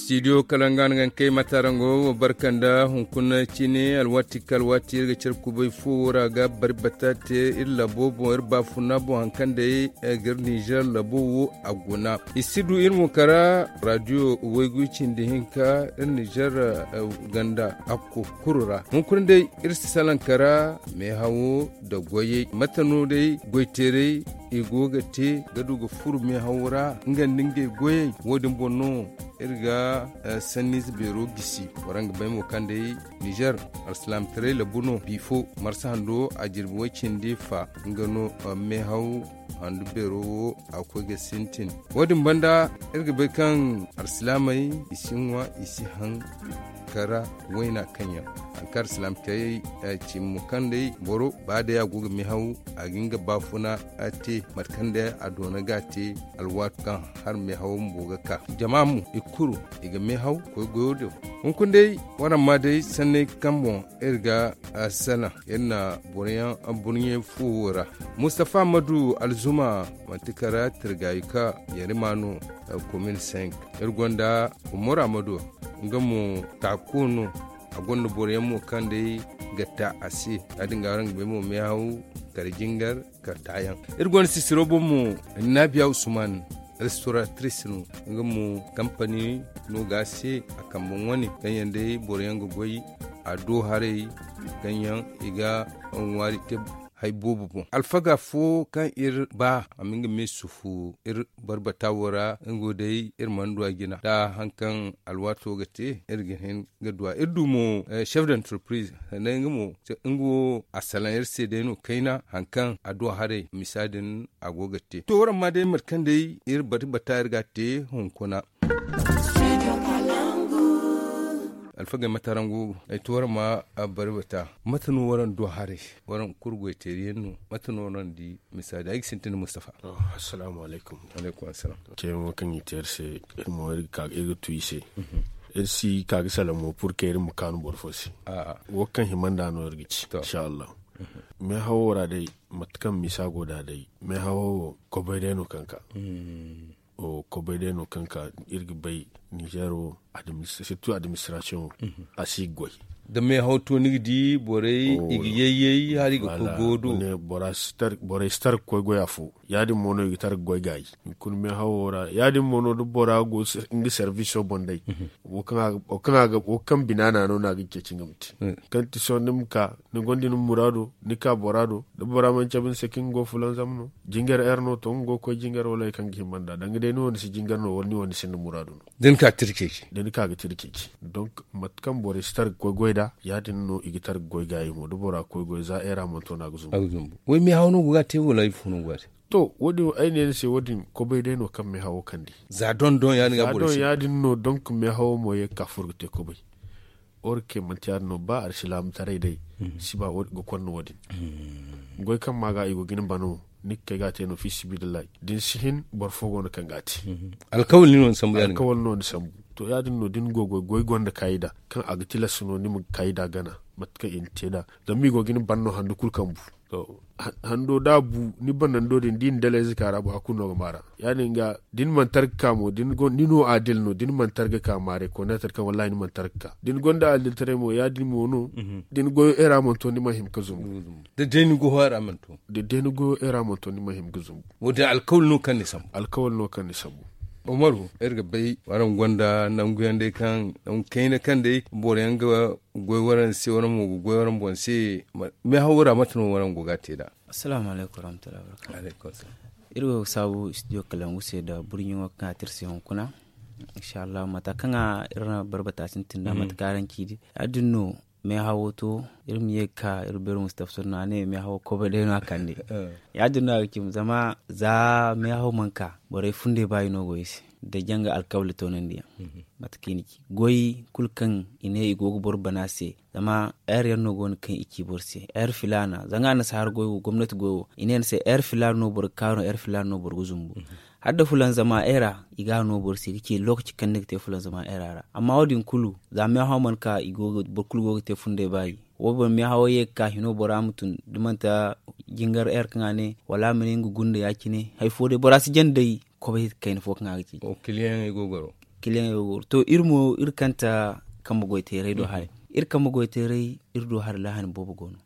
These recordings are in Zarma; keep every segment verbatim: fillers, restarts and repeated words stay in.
Studio kala nga no ga ni kay matarango wo barka nda hunkuna cine alwaati kaŋ alwaati iri ga care kubay fo wo ra ga bari bata te iri labo boŋ iri baafuna boŋ hari kaŋ day ga iri nizer labo wo a guna i si du iri mo kara radio waygu cindi hinka iri nizer ganda hakko kulu ra hunkuna day iri si salaŋ kara meehawo nda goyey mate no day goyteeray i go ga te ga du ga furo meehawo ra nga nda ngey goyey wo- din boŋ no iri ga sanniize beero gisi waraŋ ga bay mo kaŋ day nizer alsilaamataray labu no bifo marsa hando a jirbi way cindi fa nga no meehaw handu beero wo a ga koy ga sintin wo- din banda iri ga bay kaŋ alsilaamey i si ŋwa i si haŋ kara wayna kaŋ yaŋ hari kaŋ alsilaamataray cimi mo kaŋ day boro ba day a go ga meehaw a ga nga baafuna te mate kaŋ day a doona ga a te alwaati kaŋ har meehaw bumbo ga ka jama mo i kulu i ga meehaw koy goyo do hunkuna day waraŋ ma day sanney kaŋ boŋ iri ga salaŋ iri na boro yaŋ burɲey fo wo ra mustafa madu alzuma manti kara tirgayuka yarima no komin cinq iri gonda umar amadu nga mo taako no a gonda boro yaŋ mo kaŋ day ga ta a se ya- din ga araŋ ga bay mo meehaw kala jingar kala taayaŋ iri gonda sisiro boŋ mo naabiya usman restauratrice no nga mo kampani no ga a se a kambe wane kaŋ yaŋ day boro yaŋ ga goy a do haray kaŋ yaŋ i ga ŋwaari te hari boobo boŋ alfaga fo kaŋ iri ba a ma nga me sufu iri barbata wo ra nga wo day iri mana du a jina da hari kaŋ alwaato ga te iri ga hin ga du a iri du mo chef d'entreprise sanday nga mo nga wo a salaŋ iri se day no kayna hari kaŋ a du a haray misa din a go ga te to waraŋ ma day mate kaŋ day iri barbata iri ga a te hunkuna alfagey mate araŋ go ay to waraŋ ma barbata mate no waraŋ du haray waraŋ kulu goyteeri yaŋ no mate no waraŋ di misali ay ga sintin mustafa assalamu alaykum. Alaykum assalam. Te mo kaŋ i te iri se iri mo iri ga tu i se iri si ka ga salaŋ mo pur kaŋ iri ma kaanu boro fo se wo kaŋ hima nd'a no iri ga ci inshallah. Meehawo ra day mate kaŋ misa go nd'a day meehawo wo kobay day no kaŋ ka kobay day no kaŋ ka iri ga bay nizer wo surtout administration wo a si ga goy da meehaw to ni ga di borey i ga yayyay hari ga koy goyo do borey si tar ga koy goy afo ya- din mo no i ga tar ga goy gaayi hunkuna meehawo ra ya- din mo no da bora go nga serviso boŋ day wo kaŋ bina na no no a ga ceeci nga ma te kaŋ ti sohõ ni ma ka ni gonda ni muraado ni ka bora do da bora mana cabe ni se kaŋ nga go fulanzam no jingar air no to nga go ga koy jingar wala hari kaŋ ga hima nd'a danga day ni wo ni si jingar no wala ni wo ni sinda muraado no da ni ka tirceeci da ni ka ga tirceeci donc mate kaŋ borey si tar ga koy goy nd'a ya- din no i ga tar ga goy gaayi mo da bora ga koy goy za air a mana to no a ga zumbu way meehaw no go ga a te wala ifo no go ga a te to wo- din ay ne ni se wo- din kobay day no kaŋ meehawo kande za don don ya- din no donc meehawo mo ye ga ka furo ga te kobay or ke manti ya- din no ba alsilaamataray day si ba ga konda wo- din goy kaŋ ma ga i go ga ni bano ni ga kay ga a te no fi sibidillahi da ni si hin boro fo go no kaŋ ga a te alkawal no ni sambu to ya- din no da ni go goy goy gonda kaayida kaŋ a ga tilas no ni ma kaayida gana mate kaŋ i na te nd'a zama i go ga ni ban no handu kulu kaŋ bu hando da a bu ni banando din da i na dalay zika ra bu hari kulu no ga maara ya- din ga da ni mana tar ga ka mo ni no adil no da ni mana tar ga ka maare koneetar kaŋ wallahi ni mana tar ga ka da ni gonda adiltaray mo ya- din mo no da ni goyo era mana to ni mana hima ga zumbu da day ni goyo era mana to ni mana hima ga zumbu wo- din alkawal no kaŋ ni sambu alkawal no kaŋ ni sambu umaru iri ga bay waraŋ gonda nangu yaŋ day kaŋ nangu kayna kaŋ day boro yaŋ ga goy waraŋ se waraŋ mo ga goy waraŋ boŋ se meehawo ra mate no waraŋ go ga a te nd'a assalamu alaykum warahmatullahi wabarakatuh iri wo ga saabu studio kalangu se nda burɲo kaŋ a te iri se hunkuna inshallahu mata kaŋ iri na barbata sintin nd'a mate kaŋ araŋ ci di ya- din no meehawo to iri ma ye ga ka iri beero mustafa sunna a ne meehawo kobay day no a kande ya- din no a ga cimi zama za meehawo mana ka borey funday ba i no go i se da janga alkawli toonandiyaŋ mate kaŋ i na ci goy kulu kaŋ i ne i go ga boro bana se zama heure yaŋ no go no kaŋ i ci boro se heure filaana zanga annasaara goy wo gomnati goy wo i ne ni se heure filaana no boro ga ka no heure filaana no boro ga zumbu hala da fulanzama heure ra i ga a no boro se ga ci lokaci kaŋ ni ga te fulanzama heure ra amma wo- din kulu za meehawo mana ka boro kulu go ga te funday baayi wo boro meehawo ye ga ka hino bora ma tun da manti jingar heure kaŋ a ne wala a ma ne nga gunda ya- cine hari fo day bora si jande day kobay kayna fo kaŋ a ga ci kiliyaŋey go goro kiliyaŋey go ga goro to iri mo iri kanta kambe goy teeray do haray. Iri kambe goy teeray iri do hari laahani boobo go no.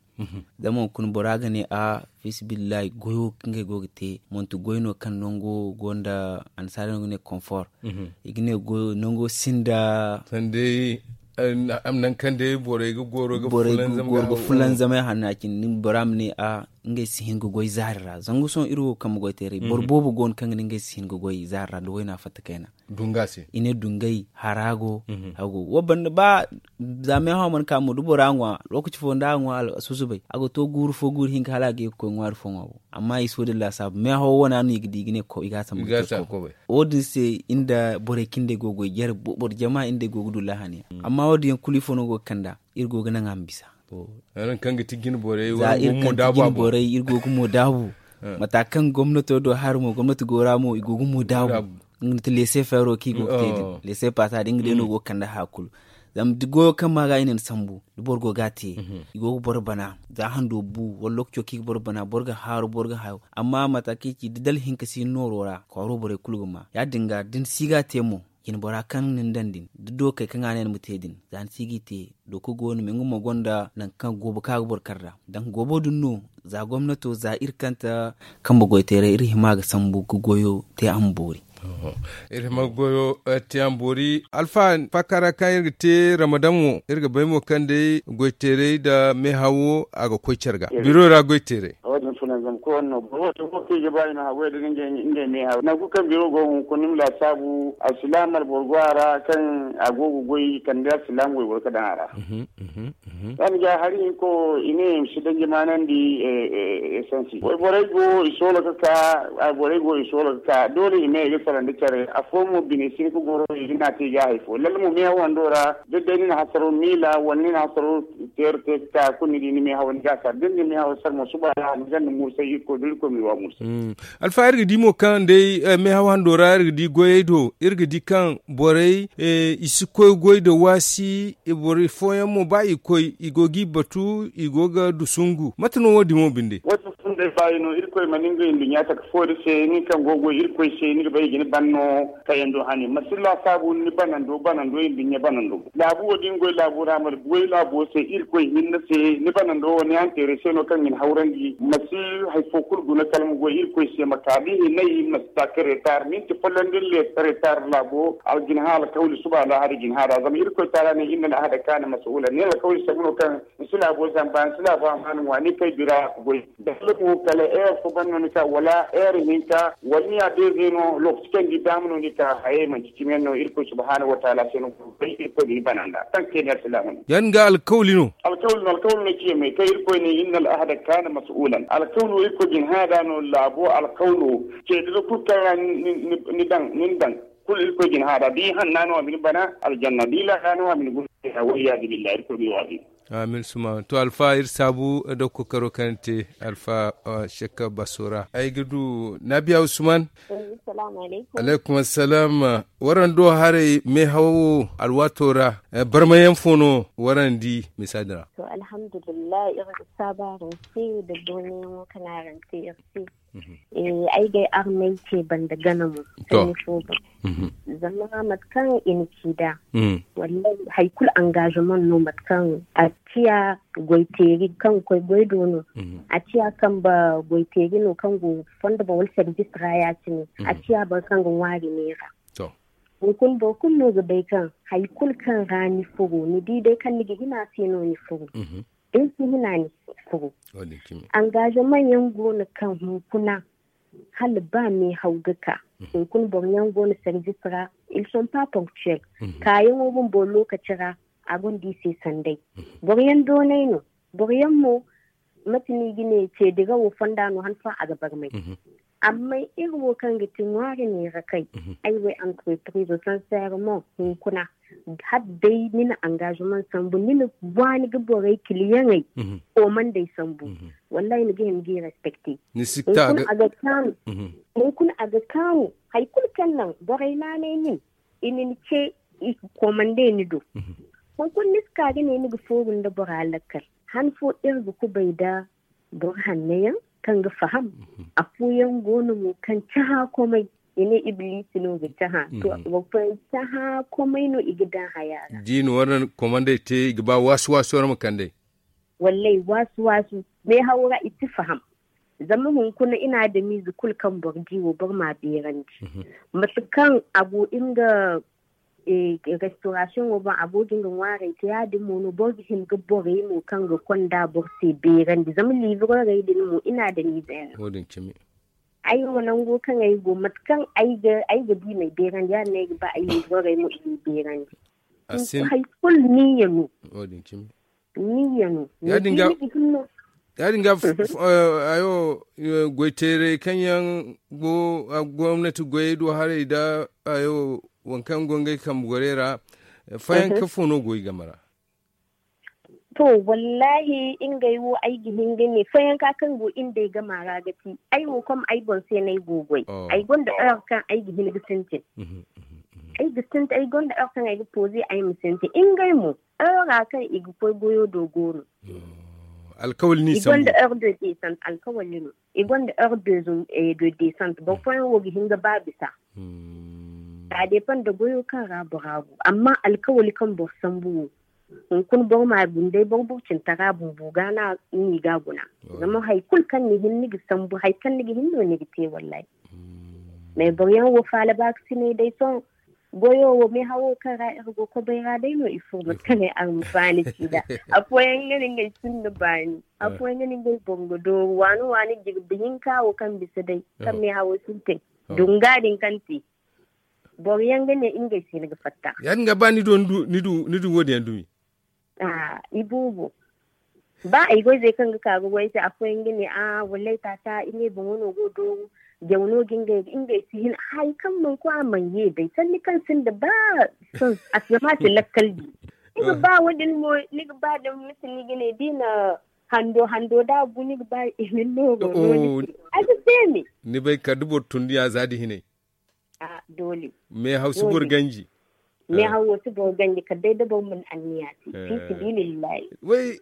Zama hunkuna bora ga ne a fiisabilillahi goyo kaŋ ngey go ga te manti goy no kaŋ nango go nda annasaara no ga ne konfor. I ga ne nango sinda. Sanda day nangu kaŋ day borey ga goro ga fulanzamay hanna cine bora ma ne a ngey si hin ga goy zaari ra zanga sohõ iri wo kambe goy teeray boro boobo go no kaŋ ga ne ngey si hin ga goy zaari ra da wayna fatta kayna. Dunga se i ne dungay hara go. Hago wo banda ba za meehaw mana ka mo da bora ŋwa lokaci fo nda a ŋwa a susubay a ga to guuru fo guuru hinka hala a ga ye ga koy ŋwaari fo ŋwa bo. Amma i si wo- din laasaabu meehaw wana no i ga di i ga ne i ga a sambu ga te koy. Wo- din se inda borey kaŋ day go ga goy jere boro jama inda ay go ga du laahani yaŋ amma wo- din yaŋ kulu ifo no go ga kand'a iri go ga naŋ a ma bisa. Za iri kaŋ ti jine borey iri go ga mo daabu. Mata kaŋ gomnato do hari mo gomnati go ra mo i go ga mo daabu. Nga nda ti lese feero kaŋ i go ga te din lese paasa din nga day no go ga kande haya kulu. Zama da goyo kaŋ ma ga i na ni sambu da boro go ga a te i go ga boro bana za hando bu wala lokaco kaŋ i ga boro bana boro ga haaru boro ga hayo. Amma mata kaŋ i ci da dala hinka si ni nooro ra kwaaro borey kulu ga ma ya- din ga da ni si ga a te mo. Jine bora kaŋ ni daŋ din da dookey kaŋ a ne ni ma te din za ni si ga i te. Dooka go no me nga mo gonda nangu kaŋ goobo kaŋ a ga boro kar nd'a. Danga goobo din no za gomnato za iri kanta kambe goyteeray iri hima ga sambu ga goyo te a ma boori. Iri hima ga goyo te a ma boori alfa faaka ra kaŋ iri ga te ramadan wo iri ga bay mo kaŋ day goyteeray nda meehawo a ga koy care ga biro ra goyteeray. Wo- din fulanzam koyne no boro wo te mo kaŋ i ga ba i ma haggoy da ngey meehaw nangu kaŋ biro go hunkuna ni ma laasaabu alsilaam alboro go a ra kaŋ a go ga goy kande alsilaam wayboro ga daŋ a ra. Yaŋ ga hari hinko i ne i ma si danji maanandi. Esansi wayborey go i soolo ga ka wayborey go i soolo ga ka doole i ne i ga salaŋ da care afo mo bine si ni ga goro i ga naati i ga hari fo lalle mo meehaw wando ra da day ni na hasaro miila wala ni na hasaro teero te ga ka kulu ni di ni meehaw ni ga a sar da ni na meehaw sar mo suba ra ni ganda mursay irkoy da irkoy ma i wa mursay. Alfa iri ga di mo kaŋ day meehaw hando ra iri ga di goyey do iri ga di kaŋ borey i si koy goy da waasi. Boro fooyaŋ mo ba i koy i go g'i batu i go ga dusungu mate no wo- din wo binde? Wo- din funday baayi no irkoy mana ngey nduɲɲa taka foori se nin kaŋ go ga goy irkoy se ni ga bay i ga ni ban no. Kayando hane ma si laasaabu ni banando banando i nduɲɲa banando laabu wo- din goy laabu ra ma goy laabo se irkoy hinne se ni banando wo ni hanteeray se no kaŋ ga ni hawrandi ma si hari fo kulu guna kala ma goy irkoy se ma ka da i hinnay ma si taka reetaar minti folloŋ da ni reetaar laabo a ga jin hã alkawli suba alaahari jin hã ra zama irkoy taala ne inna al'ahada kaana mas'uula ne alkawli sambu no kaŋ ni si laabo zamba ni si laabo amaana ŋwa ni kay bira a ga goy. Dalla mo kala heure fo ban no ni ka wala heure hinka wala ni ya deeze no lookaci kaŋ ni di daama no ni ka hayey manci cimi yaŋ no irkoy subhaanahu wataala se no boro bay irkoy ga ni bana nd'a kaŋ kay ni alsilaama no. Yaŋ ga alkawli no. Alkawli no alkawli no ciya me kaŋ irkoy ne inna al'ahada kaana mas'uulan alkawli wo irkoy ga ni hã nd'a no laabo alkawli wo. Ceediro kulu kaŋ ra ni daŋ ni na daŋ kulu irkoy ga ni hã nd'a da i hanna no a ma ni bana aljanna da i laaka no a ma ni guna. Wal iyaazu billahi irkoy ga i waazi. Amin suma to alfa iri saabu nda kookaro kaŋ ni te. Alfa shek basora ay ga du naabiya usman. Alaykum assalam. Waraŋ do haray meehawo alwaato ra barmayaŋ fo no waraŋ di misa din ra? To alhamdulillahi iri ga saabu araŋ se da doonayaŋo kaŋ araŋ te iri se. Ay ga ay armey ce banda gana mo. Sanni fo boŋ zama mate kaŋ i na ci nd'a. Wallahi hari kulu engagement no mate kaŋ a ciya goy teeri kaŋ ga koy goy do no. A ciya kambe goy teeri no kaŋ go fondo boŋ wala service ra ya- cine a ciya boro kaŋ ga ŋwaari neera. Hunkuna boro kulu no ga bay kaŋ hari kulu kaŋ ra ni furo ni di day kaŋ ni ga hima se no ni furo. Da ni si hina ni si furo. Engagement yaŋ go no kaŋ hunkuna hala ba meehaw ga ka. Hunkuna boro yaŋ go no service ra ils sont pas ponctuels. Kaayaŋo bumbo lokaci ra a gonda i se sanday. Boro yaŋ doonay no. Boro yaŋ mo mate no i ga ne ceedirawo fonda no han fo a ga barmay. Amma iri wo kaŋ ga ti ŋwaari neera kay ay wo ay entreprise sincèrement hunkuna hala day ni na engagement sambu ni na waani ga borey kiliyaŋey koomandey sambu. Wallahi ni ga hin ga i respecte. Hunkuna a ga kaanu. Hunkuna a ga kaanu hari kulu kaŋ naŋ borey naanay nin i na ni ce i ga koomande ni do. Hunkuna ni si ka ga ne ni ga fooru nda bora lakkal han fo iri ga kubay nda boro hanno yaŋ kaŋ ga faham. Afooyaŋ go no mo kaŋ cahã komay. I ne iblisi no ga cahã to. Boro fooyaŋ cahã komay no i ga daŋ haya ra. Da i na war komandey te i ga ba waasu waasu war ma kand'ey. Wallay waasu waasu. Meehawo ra i si faham. Zama hunkuna i na adamiize kulu kaŋ boro di wo boro m'a beerandi. Mate kaŋ a go nga restorasiyoŋo boŋ a go ga nga ŋwaarey te ya- din mo no boro ga hin ga borey mo kaŋ ga konda boro se beerandi zama liibrorey din mo i na adamiizey no. Ay wo nango kaŋ ay go mate kaŋ ay ga di m'ay beerandi ya- din no ay ga ba ay liibrorey mo i m'i beerandi. Hari kulu niyya no. Niyya no. Ya- din ga ya- din ga ayo goy teeray kaŋ yaŋ go gomnati goyey do haray nda ayo waŋ kaŋ go ngey kambe gorey ra. Fayanka fo no go i game ra? To, wallahi ngey wo ay ga hin ga ne fayanka kaŋ go iri nd'ey game ra ga ti ay wo kom ay boŋ se no ay go goy. Ay gonda heure kaŋ ay ga hin ga sintin. Ay ga sintin ay gonda heure kaŋ ay ga pooze ay ma sintin ngey mo. Heure ra kaŋ i ga koy goyo do go no. Alkawali no i sambu. Alkawali no i gonda heure de descente boro fooyaŋ wo ga hin ga ba bisa. Za deepan nda goyo kaŋ ra bora go amma alkawali kaŋ boro sambu wo. Hunkuna boro ma guna day boro burcintara bumbo ga no ni ga guna. Zama hari kulu kaŋ ni hin ni ga sambu hari kaŋ ni ga hin no ni ga te wallahi. Mais boro yaŋ wo faala baakasinay day sohõ goyo wo meehawo kaŋ ra iri go kobay ra day no i furo mate kaŋ ay araŋ ma baani ci nd'a. Afooyaŋ ga ne ngey sinda baani. Afooyaŋ ga ne ngey boŋ ga dooru waani waani jirbi hinka wo kaŋ bisa day kaŋ meehawo sintin. Dunga din kaŋ te boro yaŋ ga ne ngey se ni ga fatta. Ya- din ga ba ni du ni du wo- din yaŋ dumi. Iboobo ba ay goy zey kaŋ ga ka ga goy ay se afooyaŋ ga ne a wallay taaca ngey boŋo no go dooru. Jaw no ga ngey ga ngey si hin hari kaŋ mana koy a mana ye day sanni kaŋ sinda ba. Zama a si lakkal di ni ga ba wo- din mo ni ga ba da misi ni ga ne da i na hando hando da a bu ni ga ba i ma ni nooro no ni se. Ay ga se me. Ni bay kala da boro tunduyaŋ za da hinay. Doole. Meehaw si boro ganji. Meehaw wo si boro ganji kala day da boro mana anniya te. Fi sabilillahi. Way,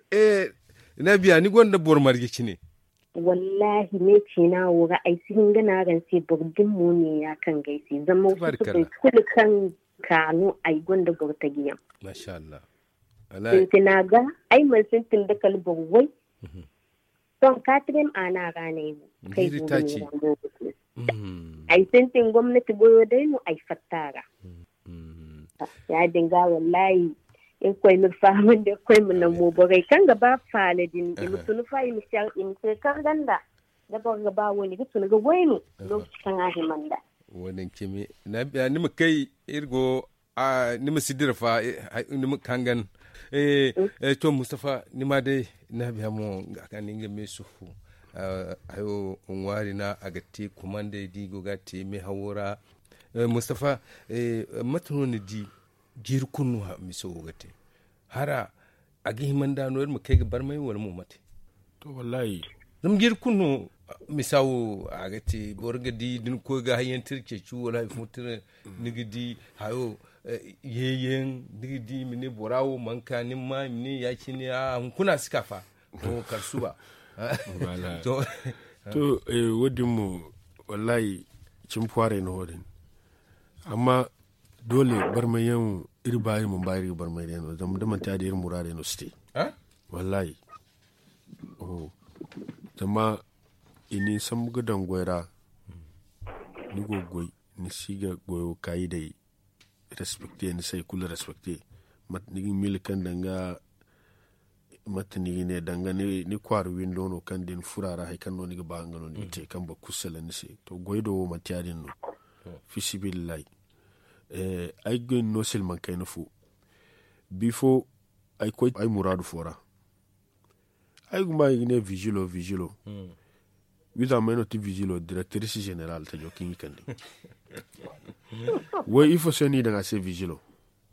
naabiya ni gonda boro marje cine? Wallahi ne ciina wo ra ay si hin ga ne araŋ se boro din mo ne ya kaŋ ga ay se zama wasu si bay kulu kaŋ ka no ay gonda boro taji yaŋ. Masha Allah. Sintina ga ay mana sintin da kala boro way. Sohõ katrem ana ra no ay go kay go ga ne ra no ga te. Ay sintin gomnati goyo day no ay fatta ra. Ya- din ga wallahi irkoy ma iri fahamandi irkoy ma naŋ mo borey kaŋ ga ba faala din i ma tun fa i ma se kaŋ ganda da boro ga ba wo ni ga tun ga goy no. Lokaci kaŋ a hima nd'a. Wo- din cimi ni ma kay iri go ni ma si dira fa ni ma kangan. To mustafa ni ma day naabiya mo ga ka ni nga meesufu hayo ŋwaari no a ga te kumandey da i go ga a te meehawo ra. Mustafa, mate no ni di jiiri kulu no miso wo ga te hara a ga hima nd'a no iri ma kay ga barmay wala mo mate? To wallahi. Zama jiiri kulu no misa wo a ga te boro ga di da ni koy ga hayyaŋ tira ceeci wala hari fo tira ni ga di hayo yeeyaŋ ni ga di i ma ne bora wo mana ka ni ma i ma ne ya- cine a hunkuna a si ka fa. Kala suba. To wo- din mo wallahi cimi kwaaray no wo- din. Amma doole barmayyaŋ iri ba iri mana ba iri ga barmay day no zama da manti ya- din iri muraadey no si te. Wallahi. Zama i na ni sambu ga daŋ goy ra ni go ga goy ni si ga goyo kaayi day. Respecte ni si hari kulu respecte mate ni ga miila kaŋ danga mate ni ga ne danga ni kwaara windo no kaŋ da ni furo a ra hari kaŋ no ni ga ba nga no ni ga te kaŋ boro kulu salaŋ ni se. To goy do wo manti ya- din no. Fi sabilillahi. Ay ga goy ni no silmaŋ kayna fo. Bifo ay koy ay muraadu fo ra. Ay ga ma i ga ne vigilo vigilo. Wiiza may no ti vigilo directrice général tajo kaŋ i kande. Way ifo se no i daŋ a se vigilo?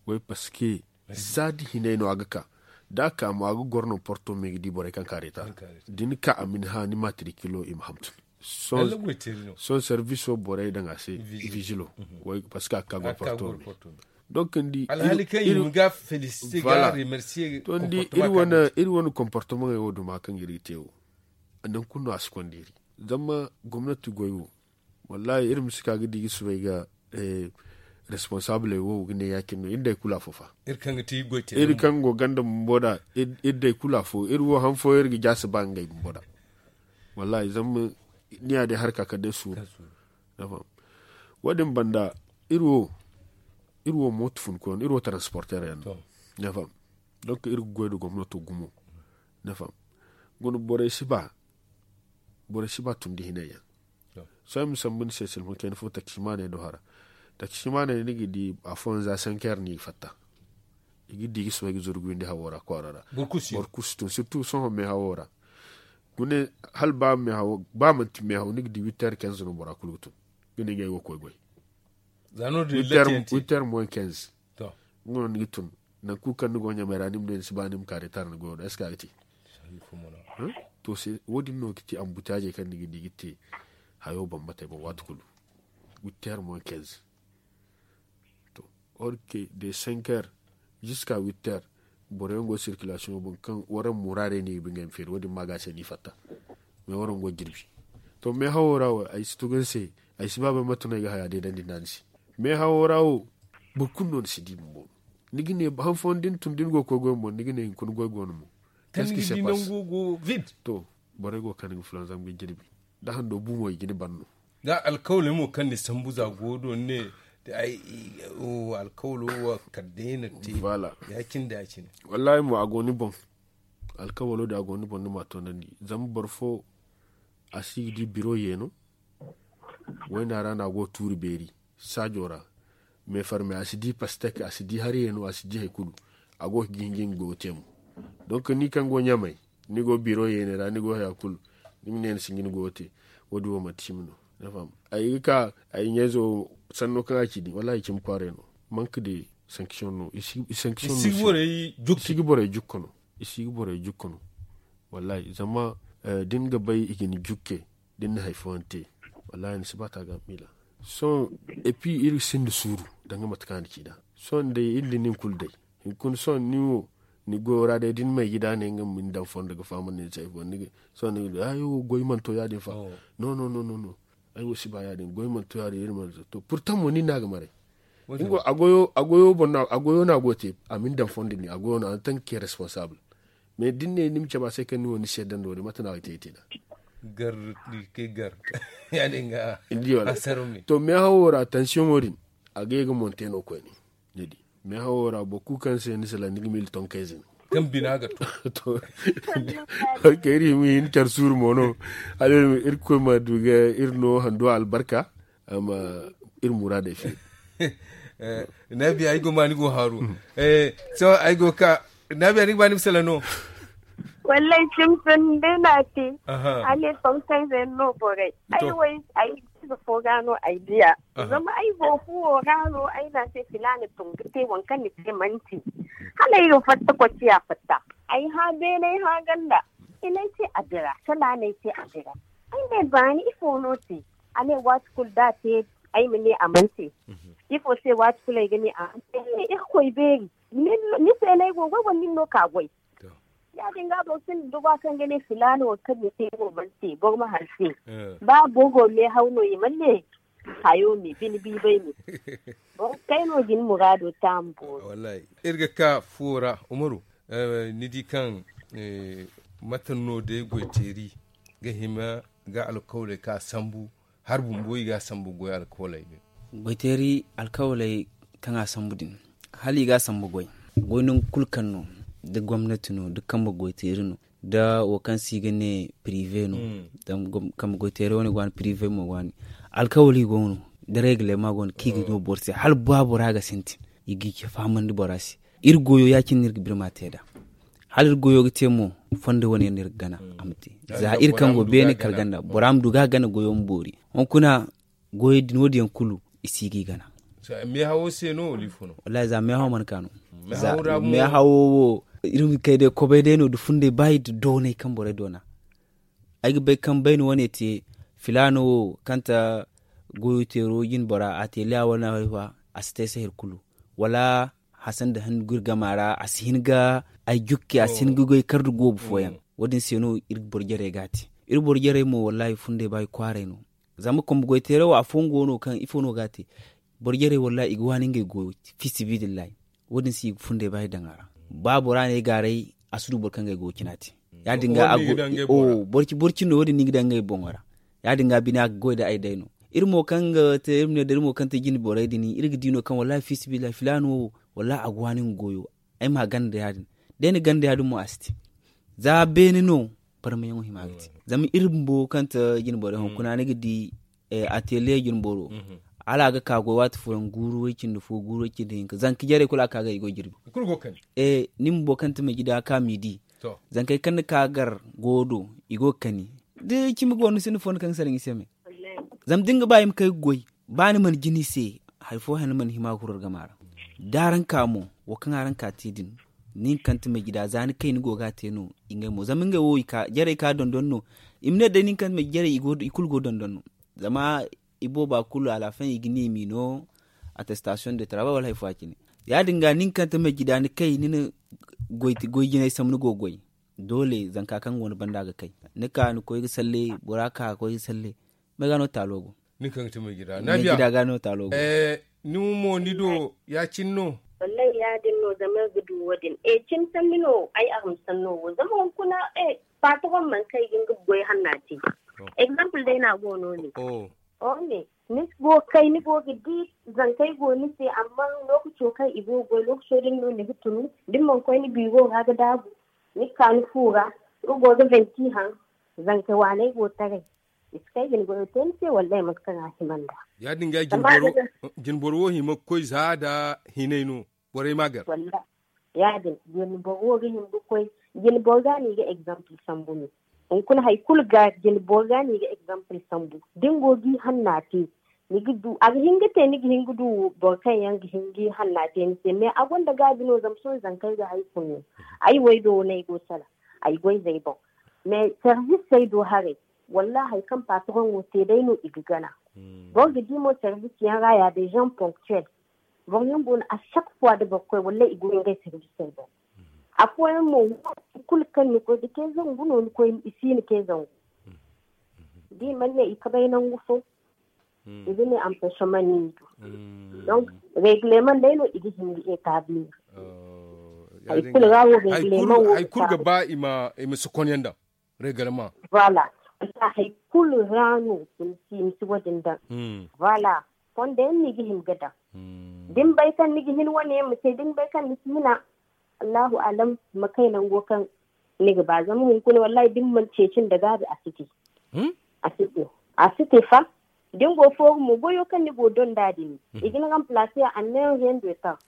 Way parce que za da hinay no a ga ka da a ka mo a ga goro no porto me ga di borey kaŋ ka retar. Da ni ka a ma ni hã ni matricule i ma hamtun. Sohõ service wo borey daŋ a se vigilo. Parce que a ga ka goro porto me. Donc ni di alhali kaŋ i ma ga féliciter ga remercier to ni di iri wane comportement wo duma kaŋ iri ga te wo. Nangu kulu no a si konda iri. Zama gomnati goy wo Wallaahi iri ma si ka ga di ga subay ga responsaabley wo ga ne ya- cine no iri day kulu afo fa. Iri kaŋ go ganda bumbo nd'a iri day kulu afo iri wo han fooyaŋ iri ga jaasi ba ngey bumbo nd'a. Wallaahi zama ni ya day harka kala day suuru. Wo- din banda iri wo mooto funkoyaŋ no iri wo taransporteer yaŋ no. Donk iri ga goy nda gomnato gumo. Guna borey si ba tundi hinay yaŋ. Sohõ ay ma sambu ni se silma kayna fo taksimaaney do hara. Taksimaaney ni ga di afooyaŋ za senkeer no i ga fatta. I ga di ga sohõ ay ga zuru ga windi hawo ra kwaara ra. Boro kulu si tun sirtu sohõ meehawo ra. Gune hala ba manti meehaw ni ga di witteer kenz no bora kulu ga tun. Ga ne ngey go ga koy goy. Witteer moyen kenz. Nga no ni ga tun. Nangu kulu kaŋ ni go ɲamay ra ni ma ne ni si ba ni ma ka retar ni goyo do est ce que a ga te? To wo- din no ga ti ambutaajey kaŋ ni ga di ga te hayo bambatey boŋ waati kulu. Witteer moyen kenz. To, or que de senkeer ziska witteer. Boro yaŋ go sirkilasiyoŋo boŋ kaŋ waraŋ muraadey no i ga ngey ma feeri wo- din ma ga a se no i fatta. Mais waraŋ go jirbi. To meehawo ra wo ay si tugu ni se. Ay si ba bay mate no ay ga haya deedandi nda ni se. Meehawo ra wo boro kulu no ni si di bumbo. Ni ga ne han fooyaŋ da ni tun da ni go ga koy goy mo ni ga ne hunkuna goy go no mo. Qu'est-ce qui se passe? To, borey go ga kande ga fulanzam ga jirbi. Da hando bu mo i ga ni ban no. Za alkawaley mo kaŋ ni sambu za go do ni ne ay alkawalo wo kala day na te. Ya- cine da ya- cine. Wallaahi mo a go ni boŋ. Alkawalo din a go ni boŋ ni ma a toonandi zama boro fo a si ga di biro yeeno. Wayna ra no a go ga tuuri beeri saajo ra. Meefarme a si di pastek a si di hari yeeno a si di hari kulu. A go ga hin ga nga goyo te mo. Donk ni kaŋ go ɲamay ni go biro yeene ra ni go haya kulu. Ni ma ne ni si ga ni goyo te. Wo- din wo manti cimi no. Ay ga ka ay ɲayzo sanno kaŋ a ci din wallaahi cimi kwaaray no. Manque de sanction no i si ga borey jukka no. I si ga borey jukka no. Wallaahi zama da ni ga bay i ga ni jukke da ni na hari fooyaŋ te. Wallaahi ni si ba ta ga miila. Sohõ epi iri sinda suuru danga mate kaŋ a na ci nd'a. Sohõ day iri da nin kulu day. Hunkuna sohõ nin wo ni goyo ra day da ni may gida ne nga ma ni daŋ fondo ga fahamandi ni se ay fondo ni ga sohõ ni ga ay wo goy mana to ya- din fa. No no no no no. Ay wo si ba ya- din goy mana to ya- din iri mana to purtaŋ mo nin no a ga maray. A goyo boŋ no a goyo te a ma ni daŋ fondo ni a goyo no a na taŋ ga ke responsable. Mais da ni ne ni ma cabe a se kaŋ ni wo ni seeda no- din mate no a ga te ay te nd'a. Gar. Ni ga kay gar. Ya- din ga. To meehawo ra tansiyoŋo din a ga ye ga monte no koyne. Ni di meehawo ra boro kulu kaŋ se ni salaŋ ni ga miila tonkayze no. Kaŋ bina ga to. To. Iri hima hin care suuru mo no. Hala iri ma du ga iri no hando albarka. Amma iri muraadey feeri. Naabiya ay go ma ni go haaru. Sohõ ay go ga ka. Naabiya ni ga ba ni ma salaŋ no. Wallaahi cimi sanni day no a te. Hala iri tonkayze yaŋ no borey ay wo ay ize fo ga no ay diya. Zama ay go fuwo ra no ay ne a se filaana tun ga te waŋ kaŋ ni te manti. Hala ay ga fatta koy ciya fatta. Ay hã beene ay hã ganda. Kala ay te a dira kala a ne ay te a dira. Ay ne baani ifo no te? A ne waati kulu da a te ay ma ne a mana te. Ifo se waati kulu ay ga ne a mana te ay ne irkoy beeri. Ni se no ay go ga goy wala nin no ka goy? Ya- din ga boro sinda duba kaŋ ga ne filaana wo kaŋ ni te wo mana te boro ma hanse. Ba boro go meehaw no i mana ne hayo me bine biibay me. Boro kay no ga ni muraado taamu boori. Iri ga ka fuwo ra umaru. Ni di kaŋ mate no day goyteeri ga hima ga alkawley kaŋ a sambu hari bumbo i ga a sambu goy alkawley din. Goyteeri alkawley kaŋ a sambu din hala i ga a sambu goy. Goy nangu kulu kaŋ no da gomnati no da kambe goyteeri no da wo kaŋ se i ga ne pirive no. Kambe goyteeri wane go a ni pirive mo go a ni alkawali go no da regle ma go no kaŋ i ga no boro se hala ba bora ga sintin i ga i ce fahamandi bora se. Iri goyo ya- cine no iri ga birma te nd'a. Hala iri goyo ga te mo fondo wane yaŋ no iri ga gana a ma te. Za iri kaŋ go beene kala ganda bora ma du ga a gana goyo ma boori. Hunkuna goyo din wo- din yaŋ kulu i si ga i gana. Meehawo se no wala ifo no? Wallaahi za meehawo mana ka no. Meehawo wo iri ma kay day kobay day no nda funday ba iri nda doonay kaŋ borey doona. Ay ga bay kaŋ bayna wane te filaano wo kaŋ ta goyo teero jine bora a te liya wane a si te ay se hari kulu. Wala hasan nda handu ga iri gama ra a si hin ga ay jukke a si hin ga goy kar nda goobu fooyaŋ. Wo- din se no iri boro jarey ga a te. Iri boro jarey mo wallaahi funday ba i kwaaray no. Zama kumbu goy teerawo afooyaŋ go no kaŋ ifo no ga a te. Boro jarey wallahi i ga waani ngey goyo. Fiisibidillahi. Wo- din se i ga fundey ba i daŋ a ra. Ba bora ne ay gaaray a si du boro kaŋ ga ay goyo cina te. Ya- din ga boro cindi no wo- din no i ga daŋ ngey boŋo ra. Ya- din ga bine a ga goy nda ay day no. Iri mo kaŋ ga te iri ma ne da iri mo kaŋ te jine borey din iri ga di no kaŋ wallahi fiisibidillahi filaana wo wallahi a ga waani nga goyo. Ay ma a gana nda ya- din. Da ay na gana nda ya- din mo a si te. Za beene no barmayaŋo hima ga te. Zama iri bumbo kaŋ te jine borey hunkuna ni ga di atelier jine boro. Hala a ga ka goy waati fooyaŋ guuru way- cindi fo guuru way- cindi hinka zanka jarey kulu a ga ka ga i goy jirbi. Ni bumbo kaŋ te meji da a ka midi. Zankey kaŋ ni ka gar goyo do i go ga kani. Da cimi go ni sinda fo ni kaŋ ga salaŋ i se me. Zama da ni ga ba i ma kay ga goy ba ni mana jina i se. Hari fo hane mana hima ga huru argama ra. Da araŋ ka mo wo kaŋ araŋ ka te din. Nin kaŋ ti majida za ni kay ni go ga a te no. Ngey mo zama ngey wo jarey ka dondon no. I ma ne day nin kaŋ ti majida jarey i kulu go dondon no. Zama i booba kulu alafaŋ i ga ne i m'i no. Attestation de travail wala hari fo a cine. Ya- din ga nin kaŋ ti majida ni kay ni na goy jinay sambu ni go ga goy. Doole zanka kaŋ go ni banda ga kay. Ni ka ni koy ga salle bora ka ga koy ga salle. May ga no taalo go. Ni kaŋ ga ti may jira na biya ga no taalo go. Ni mo ni do ya- cine no. Wallahi ya- din no zama iri ga du wo- din e cine sanni no ay a ma sanno wo zama hunkuna. Patroŋ mana kay ga nga goy hanna te. Exemple day no a go no ne. Ni go ga kay ni go ga di zankey go ni se amma lookaco kaŋ i go ga goy lookaco din no ni ga tunu. Da ni mana koy ni biiro ra ga daabu ni ga ka ni fu ra. Nga go ga venti haŋ. Zanka waaney go taray. I si kay ga ni goyo te ni se wallaahi mate kaŋ a hima nd'a. Ya- din ga jinboro wo hima ga koy za nda hinay no. Borey ma gar. Ya- din jinboro wo ga hima ga koy. Jinboro ga no i ga exemple sambu no. Hunkuna hari kulu ga jinboro ga no i ga exemple sambu. Da ni go ga i hanna te. Ni ga du a ga hin ga te ni ga hin ga du boro kaŋ yaŋ ga hin ga i hanna te ni se mais a gonda gaabi no zama sohõ zankey ga hari fo no. Ay wo ay do no ay go sala. Ay goy zey boŋ. Mais service ay do haray. Wallaahi hari kaŋ patroŋo te day no i ga gana. Boro ga di mo service yaŋ ra ya de gens ponctuel. Boro yaŋ go no a chaque fois da boro koy wallaahi i go ngey service ay boŋ. Afooyaŋ mo waati kulu kaŋ ni koy ga te zangu no ni koy i si ni te zangu. Da i mana ne i kabay nangu fo. I ga ne empêchement no i du. Donc reglement day no i ga hin ga établir. Hari kulu ga wo reglement wo hari kulu ga ba i ma i ma si konyaŋ daŋ. Reglement. Voilà. Wala hari kulu ra no i ma si i ma si wo- din daŋ. Voilà. Fondo yaŋ no i ga hin ga daŋ. Da ni bay kaŋ ni ga hin wane yaŋ ma te da ni bay kaŋ ni si hina. Allahu alam ma kay nango kaŋ ni ga ba zama hunkuna wallaahi da ni mana ceeci nda gaabi a si te. A si te a si te fa. Da ni go fooru mo goyo kaŋ ni go donda din i ga ni remplacer a en un rien de temps.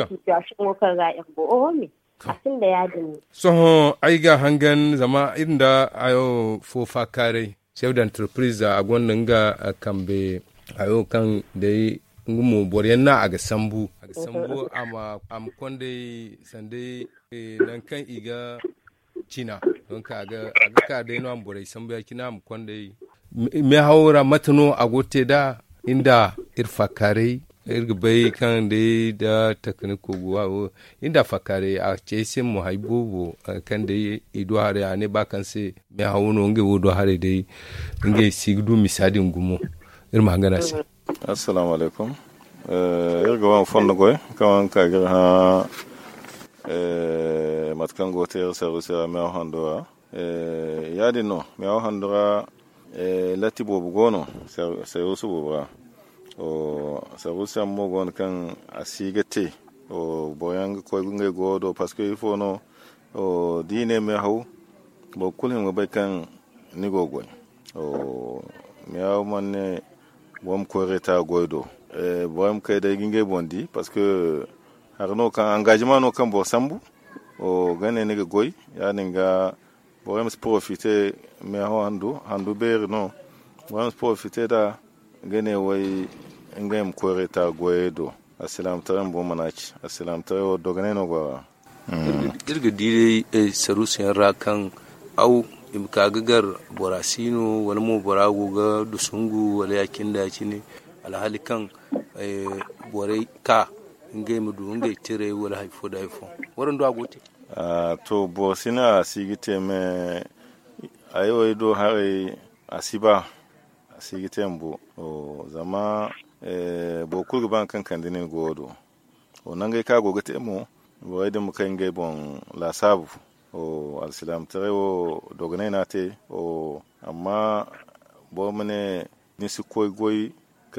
Situation wo kaŋ ra iri go oho me. A sinda ya- din no. Sohõ ay ga a hangan zama iri nda hayo fo faakaaray. Chef d'entreprise a gonda nga kambe hayo kaŋ day nga mo boro yaŋ no a ga sambu a ga sambu a ma konday sanday nangu kaŋ i ga cina. Donk a ga ka day no a ma borey sambu ya- cine a ma konday. Meehawo ra mate no a go ga te nd'a? Iri nda iri faakaaray iri ga bay kaŋ day nda takaniko go a wo. Iri nda faakaaray a ci ay se mo hari boobo kaŋ day i du haray a ne ba kaŋ se meehawo no ngey wo du haray day. Ngey si ga du misa din gumo. Iri ma hangan a se. Assalaamu alaykum. Iri ga wane fondo goy kaŋ wane ka ga iri hã mate kaŋ go ga te iri service ra meehaw hando ra. Ya- din no meehaw hando ra. Latti boobo go no. Service boobo ra. Service yaŋ mo go no kaŋ a si ga te. Boro yaŋ ga koy ngey goyo do parce que ifo no da i ne meehaw boro kulu hima ga bay kaŋ ni go ga goy. Meehaw mana ne boro ma koy reeta goy do. Boro yaŋ ma kay day ga ngey boŋ di parce que hari no kaŋ engagement no kaŋ boro sambu ga ne ni ga goy. Ya- din ga boro yaŋ ma si profite meehaw handu handu beeri no. Boro yaŋ ma si profite nd'a ga ne way ngey ma koy reeta goyey do. Alsilaamataray bumbo mana ci alsilaamataray wo dogonay no go a ra. Iri ga di day saruusu yaŋ ra kaŋ aw i ma ka ga gar bora si no wala mo bora go ga dusungu wala ya- cine da ya- cine. Alhaali kaŋ borey ka ngey ma du ngey tiray wala hari fo nda hari fo. Waraŋ do a go ga te. To boro si no a si ga te me. Ay wo ay do haray a si ba. si ga te mbu. Zama boro kulu ga ba nga kaŋ kande nin go wo do. Nangey kaŋ a go ga te mo, borey din ma kay ngey boŋ laasaabu. Alsilaamataray wo dogonay no a te. Amma boro ma ne ni si koy goy,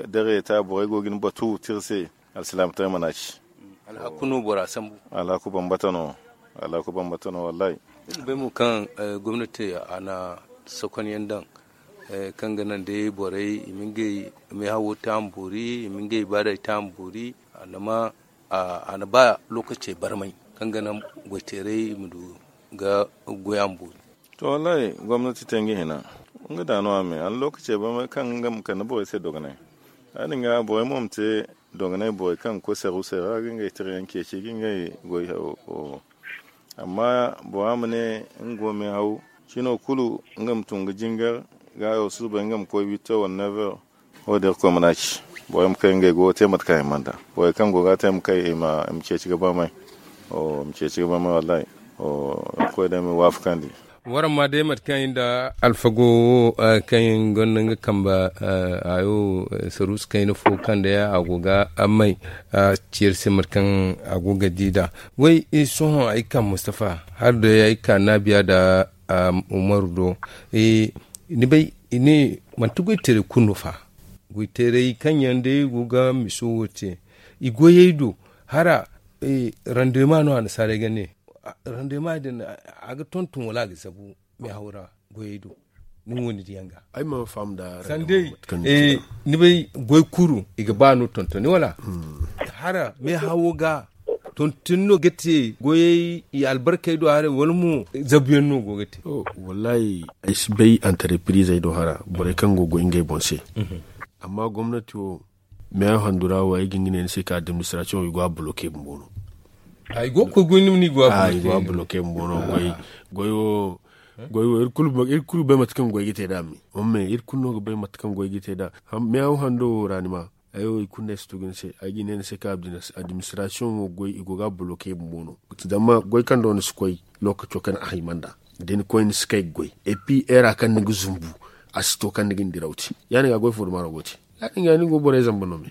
dare ta borey go ga ni batu tira se. Alsilaamataray mana ci. Alhaku no bora sambu. Alhaku bambata no. Alhaku bambata no wallahi. Bay mo kaŋ gomnati a na sokonyaŋ daŋ kaŋ ga naŋ day borey i ma ngey meehawo taambuuri, i ma ngey ibaadey taambuuri. A na ma a na ba lookacey barmay kaŋ ga naŋ goyteeray ma du ga goy a ma boori. To wallahi gomnati te nga hina. Nga da no a me a na lookacey barmay kaŋ nga ma kande borey se dogonay. Ya- din ga borey mo ma te dogonay borey kaŋ ga koy saru se ra ga ngey tirayaŋ ceeci ga ngey goy. Amma bora ma ne nga go meehaw cino kulu nga ma tun ga jingar ga hayo surbay nga ma koy witto wala never. Wo- din irkoy mana ci borey ma kay ngey go te mate kaŋ i mana da borey kaŋ go ga te ma kay i ma ceeci ga barmay. I ma ceeci ga barmay wallahi. Irkoy day ma i waafakandi. Waraŋ ma day mate kaŋ i nda alfago wo kaŋ gonda nga kambe hayo saruusu kayna fo kaŋ day a go ga may ceeri se mate kaŋ a go ga di nd'a. Way sohõ ay ga ka mustafa hala day ay ga ka naabiya nda umaru do. Ni bay i ne manti goyteeray kulu no fa. Goyteeray kaŋ yaŋ day go ga miso wo te i goyey do hara. Randema no annasaarey ga ne randema din a ga tonton wala a ga zabu meehaw ra goyey do. Ni wo ni diyaŋ ga ay mana faham da sandey. Ni bay goy kuru i ga ba no tontoni wala hara meehawo ga tontoni no ga te goyey i albarkey do haray wala mo zabuyaŋ no go ga te. Wallahi ay si bay antarepiriizey do hara borey kaŋ go goy ngey boŋ se. Amma gomnati wo meehaw handu ra wo ay ga hin ga ne ni se kaŋ administration i go a boloke bumbo no. Ay go ga koy goy ni ma ni go a boloke bumbo no. Goy wo goy wo iri kulu bay mate kaŋ goy ga te nd'a me. Iri kulu no ga bay mate kaŋ goy ga te nd'a. Meehaw hando wo ra ni ma ay wo i kulu no ay si tugu ni se ay ga ne ni se kaŋ administration wo goy i go ga a boloke bumbo no. Zama goy kaŋ do ni si koy lookaco kaŋ a hay manda da ni koy ni si kay ga goy. Et puis heure kaŋ ni ga zumbu a si to kaŋ ni ga ni diraw te. Ya- din ga goy fo dumaro go te. Ya- din ga ni go borey zamba no me.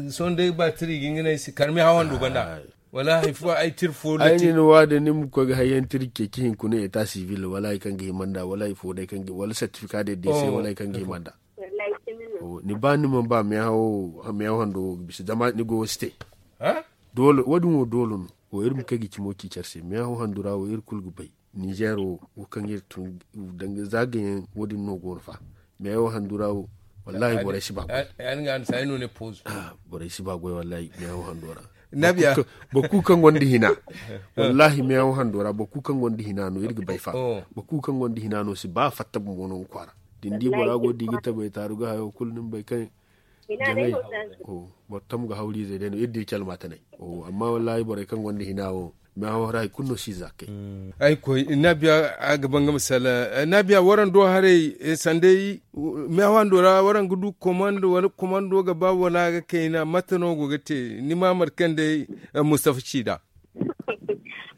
Sohõ day ba tira i ga nga ne ay si kar meehaw hando banda wala hari fo ay tira fo lati ay ne ni wa da ni ma koy ga hayyaŋ tira ceeci hinkuna eta sivil wala hari kaŋ ga hima nd'a wala hari fo day kaŋ ga wala certificat de décès wala hari kaŋ ga hima nd'a. Ni ba ni mana ba meehaw hando wo ga bisa zama ni go wo si te. Wo- din wo doole no. Wo iri ma kay ga cimo ci care se meehaw hando ra wo iri kulu ga bay. Nizer wo wo kaŋ iri tun danga zaagayaŋ wo- din no go no fa. Meehaw hando ra wo wallahi borey si ba goy. Borey si ba goy wallahi meehaw hando ra. Boro kulu kaŋ gonda hina wallahi meehaw hando ra boro kulu kaŋ gonda hina no iri ga bay fa. Boro kulu kaŋ gonda hina no si ba fatta bumbo no nga kwaara. Da ni di bora go da i ga tabay taaru ga hayo kulu ni ma bay kaŋ jaŋay. Boro tam ga hawri izey day no iri di calma tanay. Amma wallahi borey kaŋ gonda hina wo meehaw ra hari kulu no si za ga kay. Ay koy naabiya a ga ban ga masala naabiya waraŋ do haray sandey meehaw hando ra waraŋ ga du komando wala komando ga ba wala a ga kayna mate no go ga te ni ma mate kaŋ day mustafa ci nd'a.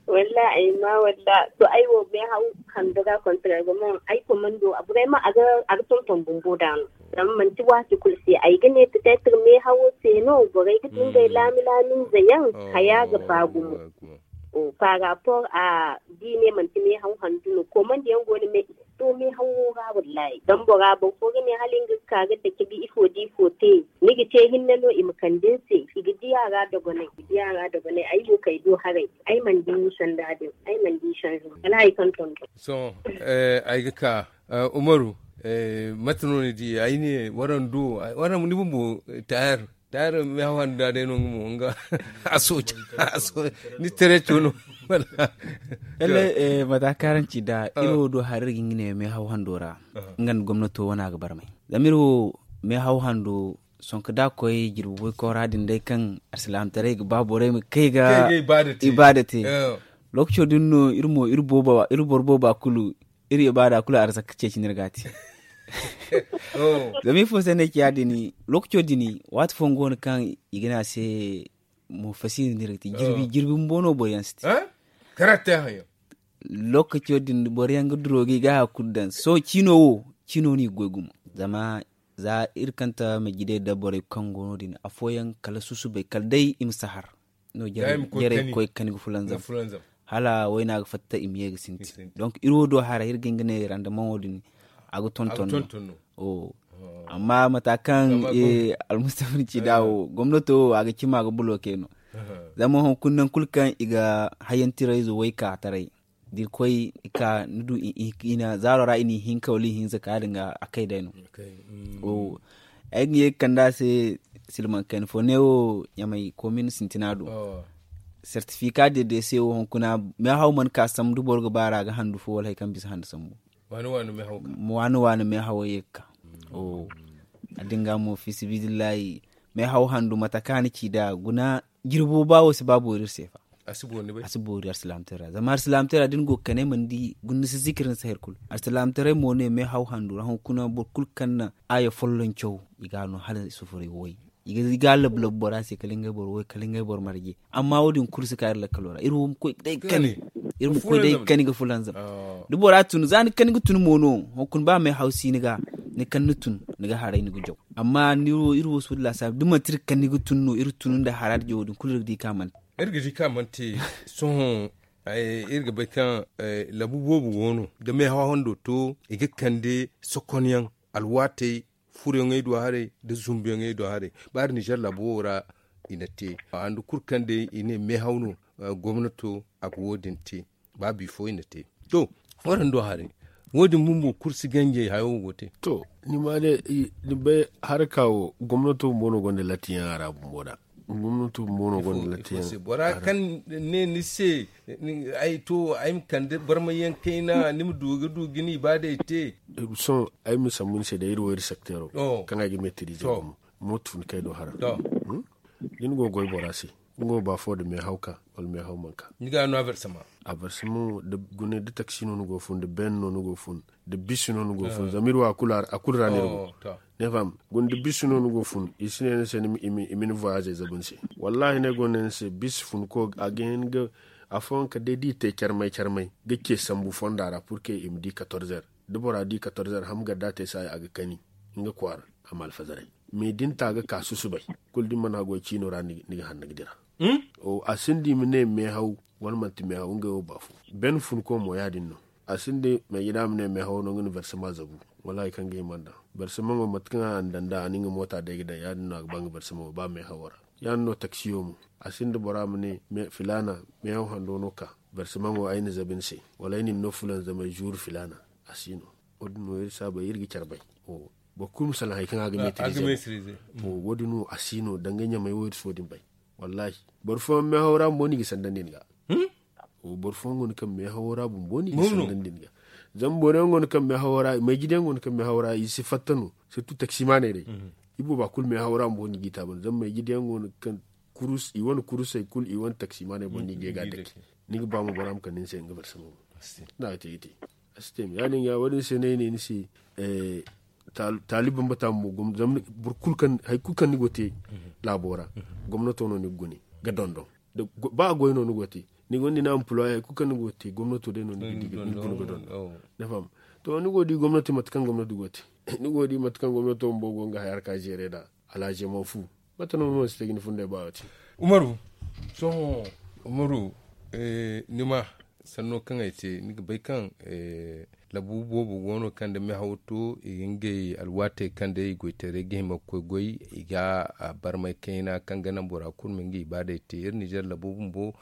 Walla ay ma walla to ay wo meehaw hando ga kontra ga mo ay komando a buray ma a ga tonton bumbo da no. Zama manti waati kulu se ay ga ne petetre meehawo se no borey ga di ngey laami laami nza yaŋ haya ga ba gumo. Par rapport a da i ne manti meehaw handu no komandi yaŋ go no me i si to meehawo ra wallahi zama bora boro fo ga ne hala nga ga ka ga dake ga ifo da ifo te ni ga te hinne no i ma kande ni se i ga di a ra dogonay i ga di a ra dogonay ay wo kay do haray ay mana di sanda din ay mana di sanda wala hari kaŋ tonton. Sohõ ay ga ka umaru mate no ni di ay ne waraŋ do waraŋ ni bumbo tayar tayar meehaw hando da day no nga mo nga a sooca ni tareco no. Wala mata karanci da iri wo do hari iri ga nga ne meehaw hando ra nga nda gomnato wane a ga barmay zama iri wo meehaw hando sonka da koy jirbi boy koora din day kaŋ alsilaamataray ga ba borey ma kay ga ibaada te. Lookaco din no iri mo iri boro booba kulu iri ibaada kulu arzaka ceeci no iri ga a te. Zama ifo se no ay ci ya- din lookaco din waati fooyaŋ go no kaŋ i ga ne a se mo fasiri no iri ga te jirbi bumbo no boro yaŋ si te. Lookaco din boro yaŋ ga duro ga i ga haya kulu daŋ sohõ ciino wo ciino no i ga goy gumo zama Za iri kanta ma jidey da borey kaŋ go no- din afooyaŋ kala susubay kala day i ma si har no jarey ga koy ga kani ga fulanzam. Hala wayna ga fatta i ma ye ga sintin. Donk iri wo do haray iri ga hin ga ne randamaŋo din a ga tonton no. Amma mata kaŋ almustafa ni ci da wo gomnato wo a ga cima ga buloke no. Zama hunkuna nangu kulu kaŋ i ga hayyantirayzo way ka taray da iri koy i ka ni du i na zaaro ra i n'i hinka wala i hinza ka ya- din ga a kay day no. Ay ga ye ga kande a se silmaŋ kayna fo ne wo ɲamay komin sintina do. Sertifika de de se wo hunkuna meehaw mana ka sambu da boro ga ba ra ga handu fo wala hari kaŋ bisa handu sambu. Waani waani meehawey ye ga ka. A din ga mo fisibidillahi meehaw handu mate kaŋ a na ci nd'a guna jirbo ba wo si ba boori iri se fa. A si boori arsilaamataray ra zama arsilaamataray ra da ni go ga kane mana di guna ni si zikir ni si hari kulu. Arsilaamataray mo ne meehaw handu ra hunkuna boro kulu kaŋ na aaya folloŋ caw i ga a no hala sufuray way. I ga labu labu bora se kala ngey boro way kala ngey boro marje. Amma wo- din kulu si ka iri lakkalo ra iri wo ma koy ga day ga kani ga fulanzam. Da bora tun za ni kani ga tun mo no hunkuna ba meehaw si ni ga ni kani ni tun ni ga haray ni ga jaw. Amma iri wo si wala laasaabu da manti iri kani ga tun no iri tun nda hara da jawo din kulu iri ga di kaŋ a mana te. Iri ga di kaŋ a mana te. Sohõ iri ga bay kaŋ labu boobo go no da meehaw hando to i ga kande sokonyaŋ alwaatey furoyaŋey do haray nda zumbuyaŋey do haray. Ba iri nizer labo wo ra i na te handu kulu kaŋ day i ne meehaw no. Gomnato a ga wo- din te ba bifo i na te. To, waranni do haray wo- din bumbo kulu si ganjey hayo wo go te. To, ni ma ne ni bay haraka wo gomnato bumbo no gonda lattiyaŋ a ra bumbo ra. Gomnato bumbo no gonda lattiyaŋ. Bora kaŋ ne ni se ay to ay ma kande barmayaŋ kayna ni ma du ga du ga ni ibaadey te. Sohõ ay ma sambu ni se day iri wo iri sektero kaŋ ay ga meetirize gumo mooto fun kay do hara. Da ni go ga goy bora se nga wo ba fo da meehaw ka wala meehaw mana ka. Ni ga no a versama. A versama wo da gune da taksi no ni go ga fun da ben no ni go ga fun da bisi no ni go ga fun zama iri wo a kulu ra no iri go. Ne faham gune da bisi no ni go ga fun i si ne ni se i ma ni voyage zabu ni se. Wallahi ne go ne ni se bisi fun ko a ga hin ga afooyaŋ kala day da i te carmay carmay ga ce sambu fonda ra purke i ma di katorzer da bora di katorzer ham garda te saayi a ga kani nga kwaara a ma alfazaray. Me da ni ta ga ka susubay kulu da ni mana goy ciino ra ni ga hanna ga dira. A sinda i ma ne meehaw wala manti meehaw ngey wo ba fo. Ben funko mo ya- din no. A sinda maigida ma ne meehawo no nga na versama zabu. Wala hari kaŋ ga hima nd'a versamaŋo mate kaŋ a na daŋ nd'a a na nga moota day ga daŋ ya- din no a ga ba nga versamaŋo ba meehawo ra. Ya- din no taksiyo mo a sinda bora ma ne filaana meehaw hando no ka versamaŋo ay na zabu ni se wala ay na ni no fulanzamay zuuru filaana. A si no. Wo- din no iri saabay iri ga care bay. Boro kulu ma salaŋ hari kaŋ a ga meetirize. Wo- din no a si no danga ɲamay wo iri si wo- din bay. Wallahi boro fooyaŋ meehawo ra bumbo no i ga sandandi ni ga. Boro fooyaŋ go no kaŋ meehawo ra bumbo no i ga sandandi ni ga. Zama boro yaŋ go no kaŋ meehawo ra maijida yaŋ go no kaŋ meehawo ra i si fatta no. Sirtu taksimaaney day i booba kulu meehawo ra bumbo no i g'i taabandi zama maijida yaŋ go no kaŋ i wane kurusey kulu i wane taksimaaney boŋ no i ga ye ga a dake. Ni ga ba mo bora ma kande ni se nga barsamay boŋ. Ni na ga te ga te a si te me ya- din ga wo- din se no ay ne ni se. Taali bambata mo zama hari kulu kaŋ ni go ga te laabo ra gomnato no ni ga gune ga dondon. Ba goy no ni go ga te ni gonda ni ampuloye hari kulu kaŋ ni go ga te gomnato day no ni ga di ga gune ga dondon. Ni faham? To ni go ga di gomnati mate kaŋ gomnati go ga te ni go ga di mate kaŋ gomnato bumbo go nga haya harka zeere nd'a. Alhazi yaŋ mana fu mate no ni mana si te ga ni funday ba wo- te. Umaru, sohõ umaru, ni ma sanno kaŋ ay te ni ga bay kaŋ labu boobo go no kaŋ da meehaw to i ga ngey alwaatey kaŋ day i goytaray ga hima ga koy goy i ga barmay kayna kaŋ ga naŋ bora kulu ma nga ibaadey te iri nizer labo bumbo.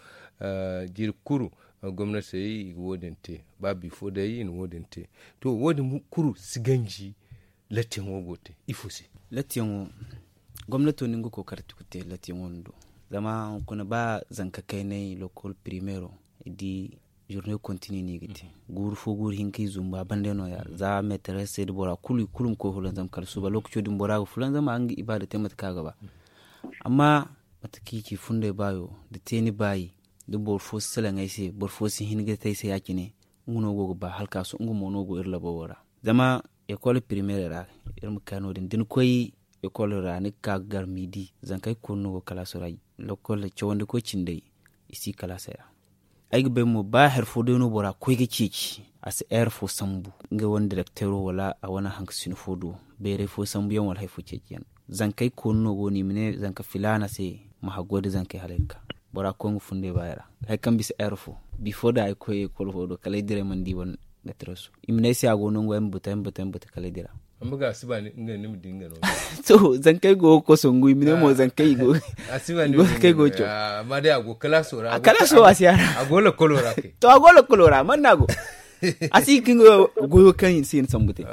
Jiiri kulu gomnatey i ga wo- din te ba bifo day i na wo- din te. To wo- din kulu si ganji. Lattiyaŋo go ga te ifo se? Lattiyaŋo gomnato no nga kokarti ga te lattiyaŋo din do. Zama hunkuna ba zanka kaynay lokol primero i di zurne kontini no i ga te guuru fo guuru hinka i zumba banda no- ya za meteres se da bora kulu i kulu ma koy hulan zama kala suuba lokaco din bora ga fulan zama a ga nga ibaada te mate kaŋ a ga ba. Amma mate kaŋ i ci funday baayo da te ni baayi da boro fo si salaŋ ay se boro fo si hin ga te ay se ya- cine. Nga no go ga ba hala ka sohõ nga mo no go iri labo wo ra. Zama ekol primeerey ra iri ma ka no- din da ni koy ekol ra ni ga ka ga gar midi zanka ay ga koonu no go kalaaso ra. Lokol cawandi koy cindey i si kalaasey ra. Ay ga bay mo ba hari fo day no bora ga koy ga ceeci a si heure fo sambu nga wane direkteero wala a wane hanka sino fo do. Bayray fo sambuyaŋ wala hari fo ceeciyaŋ. Zankey koonu no go no i ma ne zanka filaana se ma haggoy nda zankey hala iri ka bora ga koy nga fundey ba i ra. Hari kaŋ bisa heure fo bifo da ay koy ekol fo do kala ay dira ay mana di wane. Metereso i ma ne ay se a go no nga wo ay ma batu ay ma batu ay ma batu kala ay dira. Amma ga a si ba ni nga ni ma di nga no. To zankey go ga koso ngu i ma ne mo zankey i go ga caw. Amma day a go kalaaso ra a go lakolo ra kay. To a go lakolo ra man no a go. A si ga nga goyo kaŋ i na sambu te.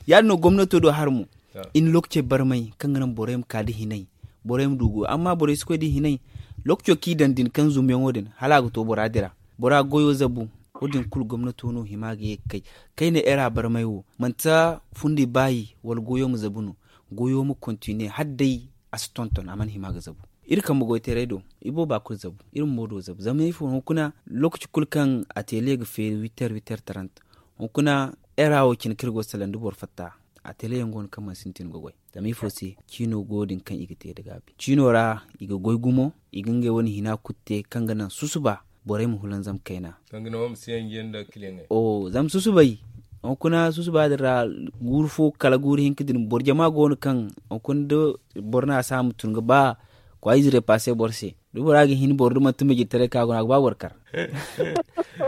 Ya- din no gomnato do hari mo. I na lookacey barmay kaŋ ga naŋ borey ma ka nda hinay. Borey ma du goyo amma borey si koy nda hinay. Lookaco kaŋ i daŋ din kaŋ zumyaŋo din hala a ga to bora dira. Bora goyo zabu. Wo- din kulu gomnato no hima ga ye ga kay. Kayna era barmay wo manti fundi baayi wala goyo ma zabu no. Goyo ma kontine hala day a si tonton a mana hima ga zabu. Iri kambe goytaray do i booba kulu zabu. Iri ma moodo zabu zama ifo hunkuna. Lookaci kulu kaŋ a teele ga feeri witter witter tarant hunkuna. Era wo cine kaŋ iri go ga salaŋ da boro fatta. A teele yaŋ go no kaŋ mana sintin ga goy. Zama ifo se ciino go din kaŋ i ga te nda gaabi ciino ra. I ga goy gumo i ga ngey wane hina kulu te kaŋ ga naŋ susuba. Borey ma hulanzam kayna. Zama susubay hunkuna susuba din ra guuru fo kala guuru hinka din boro jama go no kaŋ hunkuna da boro no a si a ma tun ga ba kwaayize repasse boro se. Da bora ga hin boro da manti majirtaray kaŋ a go no a ga ba boro kar.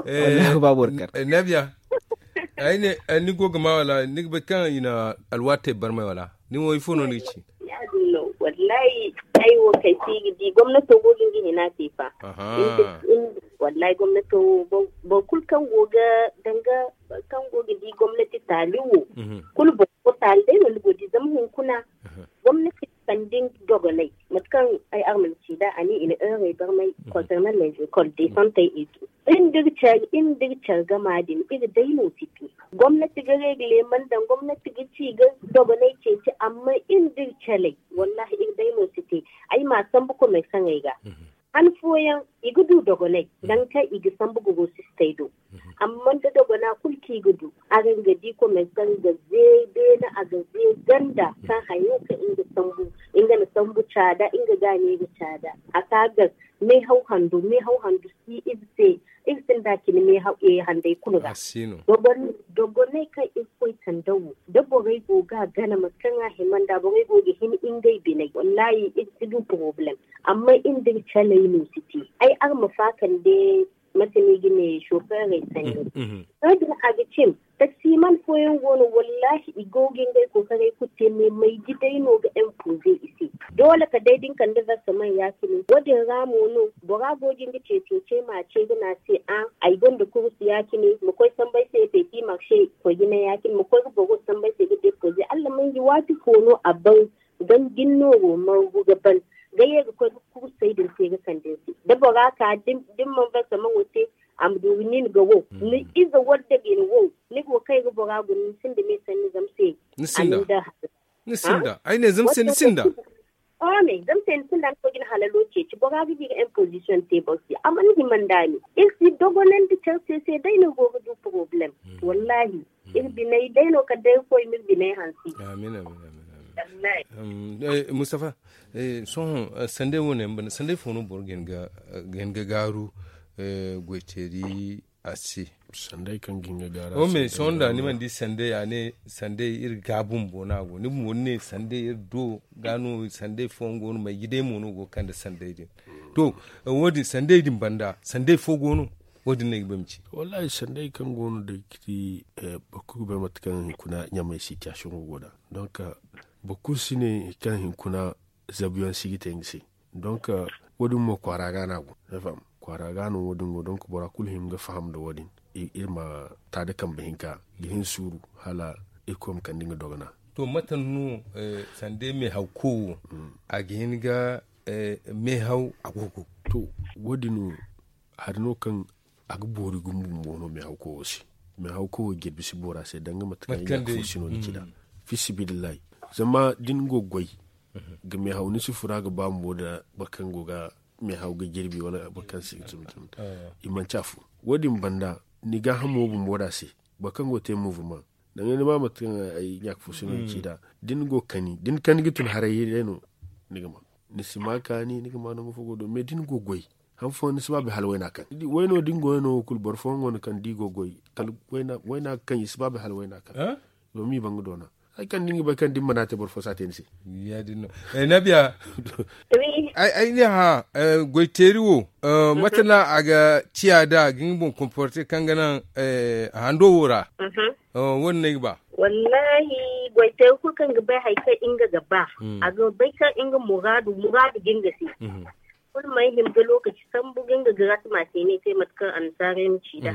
Wallahi a ga ba boro kar. Nabiya, ay ne ni go ga ma wala ni ga bay kaŋ i na alwaatey barmay wala? Ni wo ifo no ni ga ci? Ya- din no. Wallahi ay wo kay se i ga di gomnato go ga nga hina te fa. Wallahi gomnato wo boro kulu kaŋ go ga danga kaŋ go ga di gomnati taali wo. Kulu boro go taali day no ni go ga di zama hunkuna gomnati kande nga dogonay mate kaŋ ay arma ni ci nd'a a ne i na heurey barmay concernant les écoles desantey et tout. Iri nda iri care gama din iri day no si te. Gomnati ga regle man daŋ gomnati ga ci ga dogonay ceeci amma iri nda iri caley wallahi iri day no si te. Ay ma sambu commerçaŋey ga han fooyaŋ i ga du dogonay danga kaŋ i ga sambu ga go sistey do. Amma da dogona kulu kaŋ i ga du araŋ ga di commerçaŋ ga ze beene a ga ze ganda kaŋ hayo kaŋ nga sambu nga na sambu caada nga ga a ne ga caada a ka gar meehaw hando meehaw hando si iri se. Iri sinda cine meehaw handay kulu ga dogonay kaŋ iri koy tanda wo da borey go ga a gana mate kaŋ a hima nda borey go ga hin ngey biney wallahi iri si du poroblem. Amma iri nda iri caley no si te ay araŋ ma faakande mate no i ga ne soofeerey sanni. Sohõ din a ga cin taksiman fooyaŋ go no wallahi i go ga ngey kookaray kulu te me mayji day no ga impoze i se. Doole ka day da ni kande verseman ya- cine wo- din ra mo no bora go ga nga ceecincey ma ce ga ne a se a ay gonda kurus ya- cine ma koy sambu ay se petit marché koy ga ne ya- cine ma koy ga boro sambu ay se ga depoze allah manji waati fo no a ban ganjin nooro margu ga ban ga ye ga koy ga kursey din te ga kande ni se da bora ka da ni mana verseman wo te a ma du ga nin ga wo ni ize wadde ga ni wo ni go kay ga bora guna ni sinda me sanni zama se. Ni sinda. Ni sinda ay ne zama se ni sinda. Oome zama se ni sinda ni koy ga ni halalo ceeci bora ga di ga imposition te boro se a mana hima nda ni iri si dogonandi care se se day no go ga du problème. Wallahi iri biney day no kala day iri koy ma iri biney hansi. Amin amin amin. Mustafa, sohõ sanday wo ne banda sanday fo no boro ga hin ga gaaru goyteeri a se? Sanday kaŋ ga hin ga gaaru a se. Sohõ da ni mana di sanday a ne sanday iri ga bumbo no a go ni bumbo ni ne sanday iri do ga no sanday fooyaŋ go no mayji day mo no go ga kande sanday din. To, wo- din sanday din banda sanday fo go no? Wo- din no ay ga ba ay ma ci. Wallahi sanday kaŋ go no day ga ti boro kulu ga bay mate kaŋ hunkuna ɲamay situation go go nd'a. Donc boro kulu si ne kaŋ hunkuna zabuyaŋ si ga te nga se. Donc wo- din mo kwaara ga no a go. Kwaara ga no wo- din go donc bora kulu hima ga faham nda wo- din. Iri ma ta da kambe hinka ga hin suuru hala irkoy ma kande nga dogona. To mate no sanda meehaw ko wo a ga hin ga meehaw a go ga to wo- din wo hari no kaŋ a ga boori gumo bumbo no meehaw ko wo se. Meehaw ko wo jirbi si boori a se danga mate kaŋ i ga fo sino ni ci nd'a. Fi sabilillahi zama da ni go ga goy ga meehaw ni si fura ga ba bumbo nda boro kaŋ go ga meehaw ga jirbi wala boro kaŋ si ga tun tun. I manci afo wo- din banda ni gaahamo bumbo nd'a se boro kaŋ go ga te mouvement. Danga ni ma mate kaŋ ay ɲaaka fo sino ni ci nd'a da ni go ga kani da ni kani ga tun haray day no. Ni ga ma ni si ma kaani ni ga ma nangu fo go do mais da ni go ga goy Han fooyaŋ ni si ba bay hala wayna kaŋ wayno da ni go wayno wo kulu boro fooyaŋ go no kaŋ da i go goy kala wayna kaŋ i si ba bay hala wayna kaŋ. Domin i ba nga doona hari kaŋ da ni ga bay kaŋ da ni mana te boro fo si a te ni se. Ya- din no. Nabiya. Ay ne hã goy teeri wo, mate no a ga ciya da ga nga boŋ komporte kaŋ ga naŋ hando wo ra? Wo- din no ay ga ba. Wallahi, goy teeri kulu kaŋ ga bay hari kaŋ nga ga ba, a ga bay kaŋ nga muraadu muraadu ga nga se. Kulu may hima ga lookaci sambu ga nga garaatuma se ne te mate kaŋ annasaarey ma ci nd'a.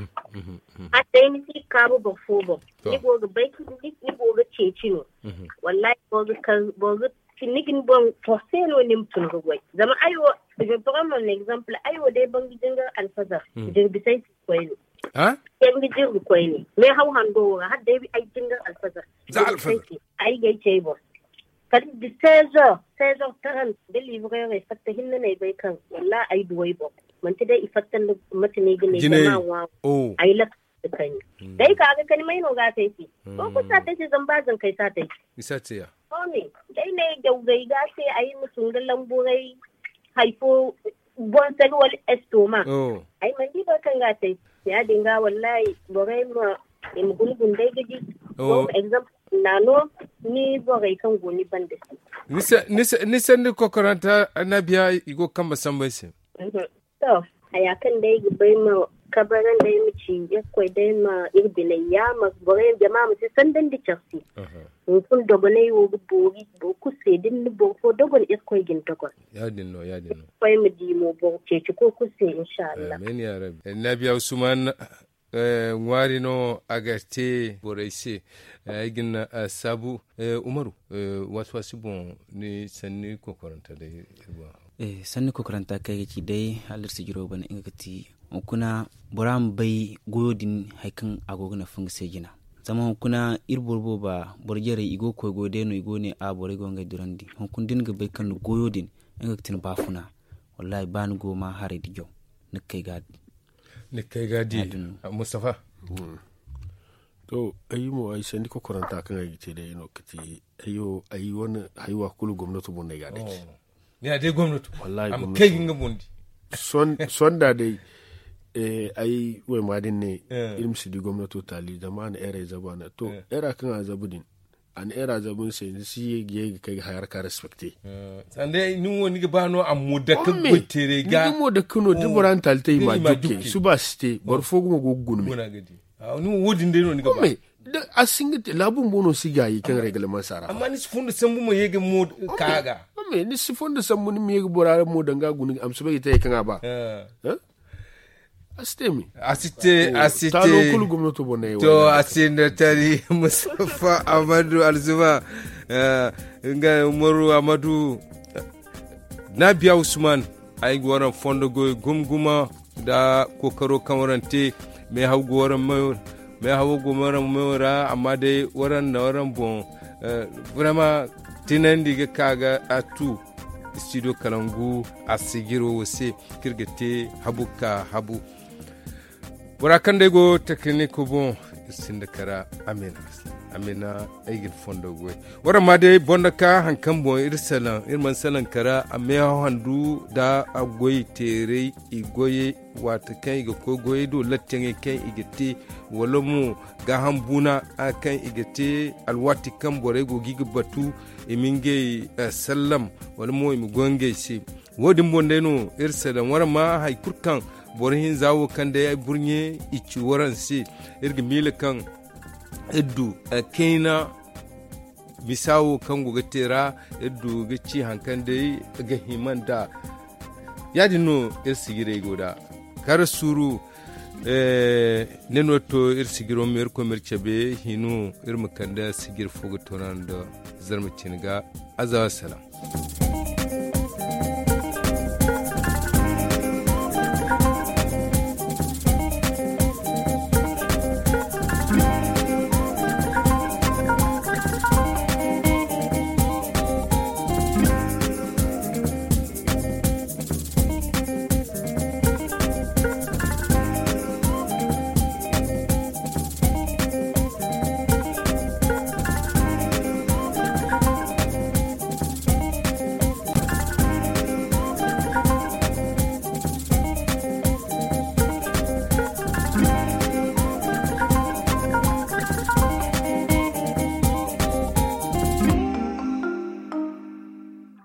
Hala day ni si ga kaabu boro fo boŋ, ni go ga bay kaŋ ni go ga ceeci no. Wallahi, boro ga ni ga ni boŋ forse no ni ma tun ga goy. Zama ay wo, je prends mon exemple, ay wo day banga jingar alfazar, jirbi say si ga koy no. Jirbi jirbi koy ne. Mais haw hando wo ra hala day ay jingar alfazar, jirbi say si ay ga ay cey boŋ. Kala da seize heures, seize heures trente da livrer fatta hinne no ay bay kaŋ wallahi ay du ay boŋ. Manti day i fatta nda mate no ay ga ne jama ŋwa. Ay lakkal da kani. Day ka ga kani may no ga a te ay se? Boro kulu si a te ay se zama ba zankey si a te ay se. Sohõ ne, day ne jawgay ga a te ay ma tun ga lamburay hari fo boŋ sali wala estoma. Ay mana di boro kaŋ ga a te ay se. Ya- din ga wallahi borey ma i ma guna guna day ga di. Exemple na no ni borey kaŋ go ni banda se. Ni sanda kokoranta annabiya i go ga kambe sambu ay se. To, haya kaŋ day ga bay ma kabarandi ay ma ci irkoy day ma iri biney yaamar borey jama ma si sandandi care se. Hunkuna dogonay wo ga boori boro kulu se da ni na boro fo dogon irkoy ga ni dogon. Ya- din no ya- din no. Irkoy ma di mo boro ceeci koy kulu se inshallah. Amin ya rabbi. Annabiya usman ŋwaari no a ga te borey se. Ay ga ni saabu. Umaru, waasi waasi boŋ ni sanni kokoranta day. Sanni kokoranta kaŋ ay ga ci day hala iri sijiro bana nga ga ti hunkuna bora ma bay goyo din hari kaŋ a go ga nafa nga se jina. Zama hunkuna iri boro booba boro jarey i go ga koy goy day no i go ne a borey go ga ngey durandi hunkuna da ni ga bay kaŋ ni goyo din nga ga ti ni baafuna. Wallahi ba ni go ma haray da jaw ni ga kay ga a di. Ni ga kay ga a di. Mustafa. To, ay mo ay sanni kokoranta kaŋ ay ga te day no ga ti ay wo ay wane haywa kulu gomnato boŋ no ay ga a dake. Ya day gomnato. Wallahi a ma kay ga nga boŋ di. Sonda day ay wayma din ne iri ma si di gomnato taali zama a na eray zabu a na to era kaŋ a zabu din. A na era zabu ni se ni si ye ga ye ga kay ga haya ra ka respecte. Sanda ni wo ni ga ba no a mo dake goy teeray ga ni ga mo dake no da bora na taali te i ma jukke suba si te boro fo gumo go ga guna me. Ni wo wo- din day no ni ga ba. A si nga te laabu bumbo no si gaayi kaŋ regleman sara amma ni si fondo sambu ma ye ga mo ka ga. Ni si fondo sambu ni ma ye ga bora mo danga guna a ma si bay ga te hari kaŋ a ba. A si te me. A si te a si te. To a si nda tari mustafa amadu alzuma. Nga umaru amadu. Nabiya usman. Ay ga waraŋ fondo goy gumguma nda kookaro kaŋ waraŋ te. Meehaw go waraŋ mayo ra. Meehawo go waraŋ mayo ra amma day waraŋ na waraŋ boŋ. Vraiment tinandi ga ka ga a tu studio kalangu a sijiro wo se kaŋ iri ga te habu ka habu. Bora kaŋ day go tekiniko boŋ iri sinda kara. Amina. Amina. Ay ga ni fondo goy. Waraŋ ma day boŋ da ka hari kaŋ boŋ iri salaŋ iri mana salaŋ kara a meehaw handu nda a goy teeray i goyey. Waati kaŋ i ga koy goyey do lattiyaŋey kaŋ i ga te wala mo gaaham buuna kaŋ i ga te alwaati kaŋ borey go ga i ga batu i ma ngey sallam wala mo i ma goy ngey se. Wo- din boŋ day no iri se daŋ waraŋ ma hari kulu kaŋ boro hinza wo kaŋ day ay burɲe i ci waraŋ se. Iri ga miila kaŋ iri du kayna misa wo kaŋ go ga te ra iri du ga ci hari kaŋ day ga hima nd'a. Ya- din no iri sijirey go nd'a kara suuru. Ne no to iri sijiro ma iri koy ma iri cabe hino iri ma kande sijir fo ga toona nda zarma cine ga. Azawa salaam.